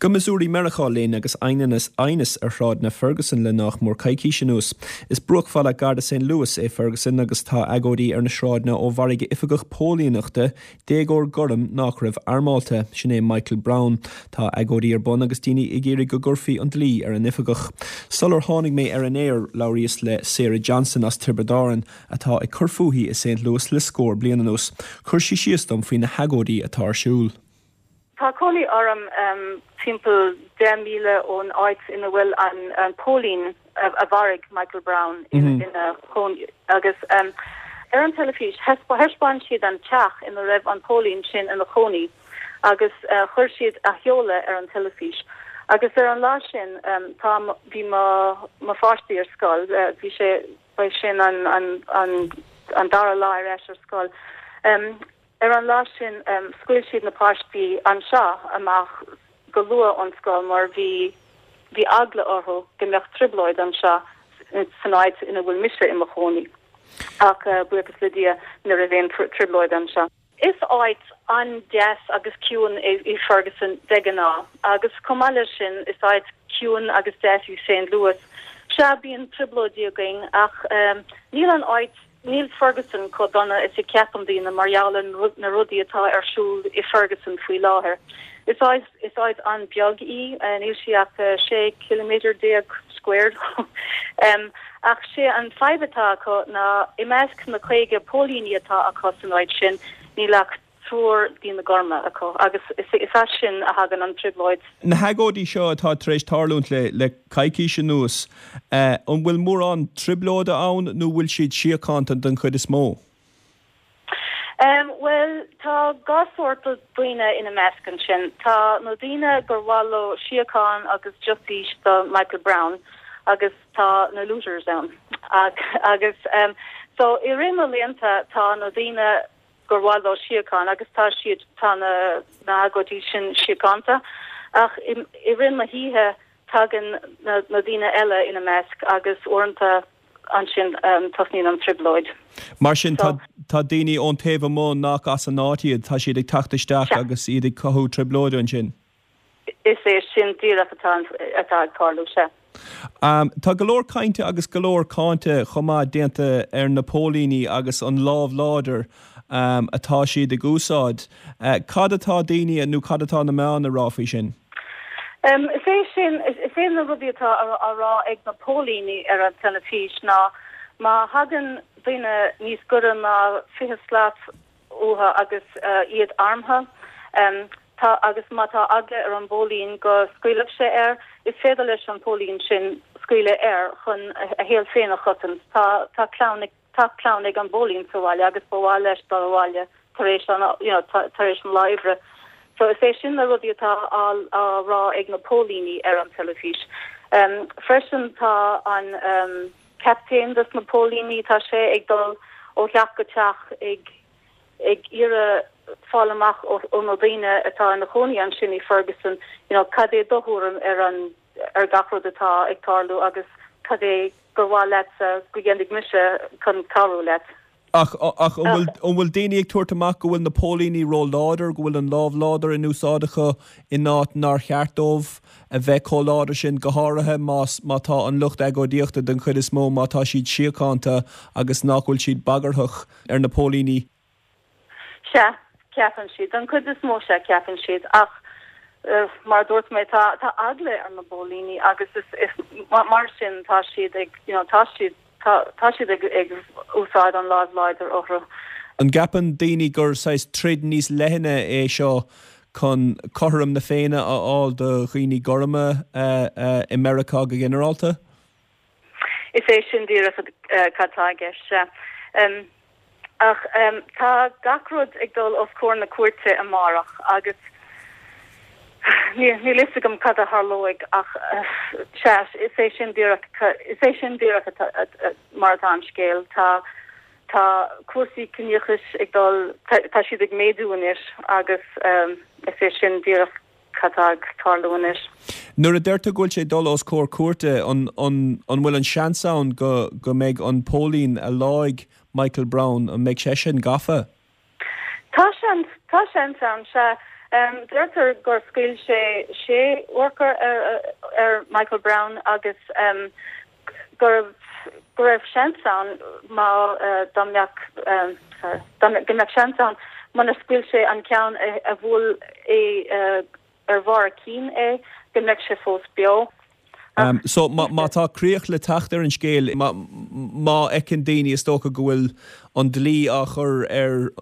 Go Missouri Meiriceá linn agus aighneas ar shráideanna Ferguson le nách mór coicís anuas. Is bruachbhaile gar do St. Louis é Ferguson agus tá agóidí ar na sráideanna ó mharaigh oifigeach póilíneachta déagóir gorm nách raibh armálta. Sin é Michael Brown. Tá agóidí ar bun agus daoine ag iarraidh go gcuirfí an dlí ar an oifigeach. Sular tháinig mé ar an aer, labhraíos le Sarah Johnson as Tiobraid Árann atá ag cur fúithi i St. Louis le scór bliain anuas. Chuir sí síos dom faoi na hagóidí atá ar siúl. Tá cónaí orm timpeall 10 míle ón áit ina bhfuil an póilín a mharaigh Michael Brown ina chónaí agus ar an teilifís thaispeáin siad an teach ina raibh an póilín sin ina chónaí agus chuir siad a sheoladh ar an teilifís agus ar an lá sin tá bhí mo mo pháistí ar scoil bhí sé ba sin an an an dara lá ar ais ar scoil. Ar an lá sin scaoil siad na páistí anseo amach go luath ón scoil mar bhí bhí eagla orthu go mbeadh trioblóid anseo san áit ina bhfuil mise i mo chónaí. Ach buíochas le Dia ní raibh aon trioblóid anseo. Is áit an-deas agus ciúin í Ferguson de ghnáth agus chomh maith leis sin is áit ciúin agus deas í St. Louis. Sea, bíonn trioblóidí againn ach níl an áit Níl Ferguson chomh dona is a cheapann daoine mar gheall ar na rudaí atá ar siúl i Ferguson faoi láthair. Is áit is áit an-bheag í, níl sí ach 16 ciliméadar squared. Ach sé an fadhb atá acu ná i measc na 50 póilíní atá acu san áit sin, níl ach triúr daoine gorma acu agus is as sin a thagann an trioblóid. Na hagóidí seo atá tar éis tarlúint le coicís anuas, an bhfuil mórán trioblóide ann nó bhfuil siad síochánta den chuid is mó? Bhuel, tá dhá sórt daoine ina measc ansin. Tá na daoine gur mhaith leo síocháin agus justice do Michael Brown agus tá na looters ann. Agus so i rith na laethanta tá na daoine gur mhaith leo síocháin agus tá siad, tá na hagóidí sin síochánta ach i rith na hoíche tagann na daoine eile ina measc agus uaireanta ansin tosnaíonn an trioblóid. Mar sin tá tá daoine ón taobh amuigh nach as an áit iad, tá siad ag teacht isteach agus iad ag cothú trioblóide ansin. Is é sin díreach atá atá ag tarlú, sea. Tá go leor cainte agus go leor cáinte chomh maith déanta ar na póilíní agus an lámh láidir atá siad ag úsáid. Cad atá daoine nó cad atá na meáin a rá faoi sin? Is é sin, is é na rudaí atá á rá ag na póilíní ar an teilifís ná má thagann duine níos gaire ná 20 slat uathu agus iad armtha. Tá, agus má tá eagla ar an bpóilín go scaoilfeadh sé air, is féidir leis an bpóilín sin scaoileadh air chun a shaol féin a chosaint. Tá, tá clann, tá clann ag an bpóilín sa bhaile agus ba mhaith leis dul abhaile tar éis an, you know, tar éis an lá oibre. So is é sin na rudaí atá á, á rá ag na póilíní ar an teilifís. Freisin tá an captaen dos na póilíní, tá sé ag dul ó theach go teach ag, ag iarraidh fáil amach ó na daoine atá ina chónaí ansin i Ferguson, you know, cad é do thuairim ar an, ar gach rud atá ag tarlú agus cad é gur mhaith leatsa go dhéanfaidh mise chun cabhrú leat. Ach, ach an bhfuil, an bhfuil daoine ag tabhairt amach go bhfuil na póilíní ró-láidir, go bhfuil an lámh láidir in úsáid acu in áit nár cheart dóibh a bheith chomh láidir sin, go háirithe más, má tá an lucht agóidíochta den chuid is mó, má tá siad síochánta agus nach bhfuil siad bagarthach? ar na póilíní. Sea, ceapann siad. Den chuid is mó, sea, ceapann siad. Ach mar a dúirt mé, tá tá eagla ar na póilíní agus is is mar sin tá siad ag, you know, tá siad tá tá siad ag ag úsáid an láimh láidir orthu. An gceapann daoine gur saghas troid níos leithne é seo chun cothrom na Féinne a fháil do dhaoine gorma i Meiriceá go ginearálta? Is é sin díreach cad tá i gceist, sea. Ach tá gach rud ag dul os comhair na cúirte amárach agus níl fhios agam cad a tharlóidh ach sea, is é sin díreach, is é sin díreach mar atá an scéal. Tá, tá cúrsaí ciníochais ag dul, tá siad ag méadú anois agus is é sin díreach Cad tá ag tarlú anois? Nuair a deir tú go bhfuil sé ag dul os comhair cúirte, an bhfuil an seans ann go go mbeidh an póilín a leáigh Michael Brown, an mbeidh seisean gafa? Tá seans, tá seans ann, sea. Deirtear gur scaoil sé sé urchar ar Michael Brown agus go go raibh seans ann má dá mbeadh sorry dá go mbeadh seans ann munar scaoil sé an ceann a bhuail é ar bharr a chinn é go mbeadh sé fós beo. So má tá críoch le teacht ar an scéal, má fheiceann daoine is dócha go bhfuil an dlí á chur ar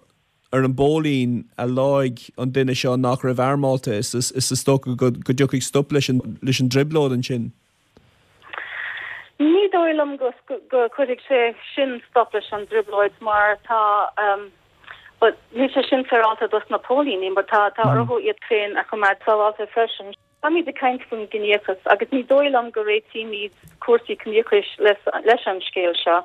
ar an bpóilín a leáigh an duine seo nach raibh armálta, is is dócha go dtiocfaidh stop leis an leis an dtrioblóid ansin. Ní dóigh liom go go cuirfidh sé sin stop leis an dtrioblóid mar tá but níl sé sin féaráilte dos na póilíní mar tá tá orthu iad féin a choimeád sábháilte freisin. Táimid ag caint faoin gciníochas agus ní dóigh liom go réitímid cúrsaí ciníochais leis an scéal seo.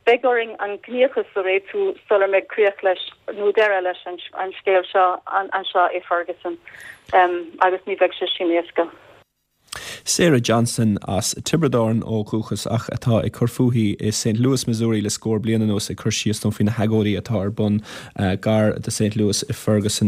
Beidh orainn an ciníochas a réitiú sular mbeidh críoch leis nó deireadh leis an scéal seo anseo i Ferguson agus ní bheidh sé sin éasca. Sarah Johnson as Tiobraid Árann ó dhúchas ach atá ag cur fúithi i St. Louis, Missouri le scór bliain anuas ag cur síos dom faoi na hagóidí atá ar bun gar do St. Louis i Ferguson.